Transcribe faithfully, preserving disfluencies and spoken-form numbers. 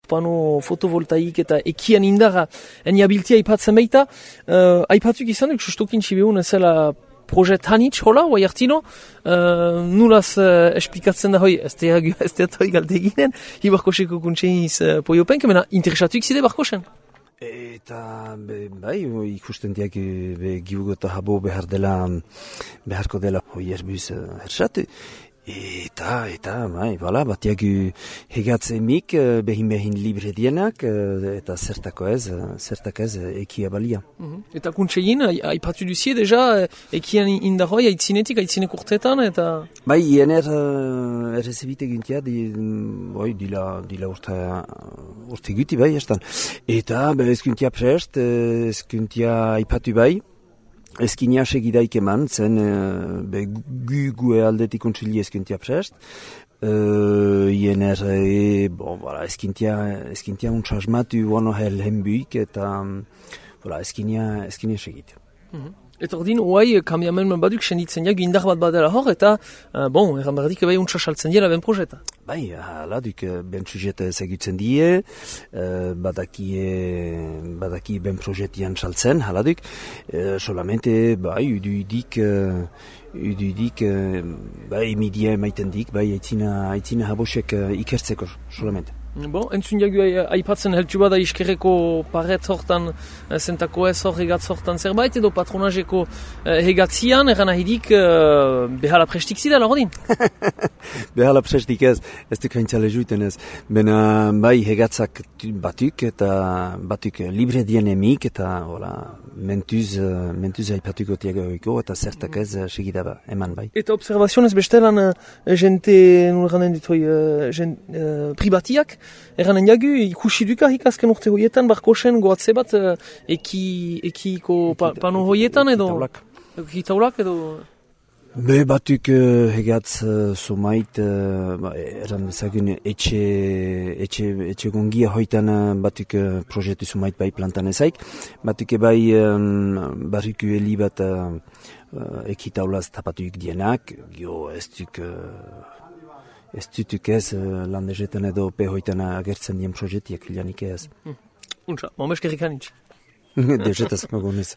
pano fotovoltaik eta ekian indarra eniabiltia aipatzen baita. Uh, aipatuk izan duk, sustokin txibeun ezela projet hanitz hola, oai hartino, uh, nulaz uh, esplikatzen da hoi, ez teat hoi galte ginen, hi barkoseko kuntseiz uh, poiopenk, mena interesatuik zide barkosen. Eta be, bai, ikusten diak be, giugota habo behar dela, beharko dela hoi erbuz uh, hersatu. Eta, eta, bai, bala, batiak hegatzemik behin-behin libre dienak, eta zertako ez, zertako ez ekia balia. Mm-hmm. Eta kuntsein, aipatu duzie deja, ekian indarroi, aitzinetik, aitzinek urtetan, eta... Bai, iener uh, errezibite gintia, di, bai, dila, dila urte, urte guti, bai, estan. Eta, be, ezkuntia prest, ezkuntia aipatu bai, Ezkinia segidaik eman, zen uh, be, gu gue aldetik kontsili ezkintia prest. Uh, Iener, e, bon, voilà, ezkintia, ezkintia untsasmatu wano hel hembuik, eta um, voilà, ezkinia, ezkinia segit. Mm-hmm. Eta ordin, oai, kambiamen baduk senditzen jak, indar bat badela hor, eta, uh, bon, erran berdik bai untsasaltzen diela ben projeta. Bai, hala, duk, ben sujet segitzen die, uh, badakie, badaki ben projetian saltzen, hala duk, uh, solamente, bai, ududik, uh, ududik, uh, bai, emidia emaiten dik, bai, aitzina, aitzina habosek uh, ikertzeko, solamente. Bon, entzun jagu aipatzen heltu bada iskerreko paret hortan, zentako ez hor hegatz hortan zerbait, edo patronazeko hegatzian, eran ahidik behala prestik zidela, hodin? Behala prestik ez, ez duk haintzale juiten ez. Bena, bai, hegatzak batuk, eta batuk libre dienemik, eta, hola, mentuz, mentuz aipatuko tiagoiko, eta zertak ez segidaba, eman bai. Eta observazionez bestelan, jente, nulranen ditoi, pribatiak, eranen jagu, ikusi duka hikazken urte hoietan, barkosen goatze bat eki, ekiko pa, pano hoietan edo? Ekitaulak. Ekitaulak edo? Be batuk uh, hegatz uh, somait, uh, ba, eran dezagun etxe, etxe, etxe gongia hoitan uh, batuk uh, projetu somait bai plantan ezaik. Batuk bai um, barriku heli bat uh, uh, ekitaulaz tapatuik dienak, jo ez duk... Uh, Ez dutuk ez, landezetan edo pehoitan agertzen dien projetiak, hilanik ez. Untsa, momeskerrik hanitz. Dezetaz magonez.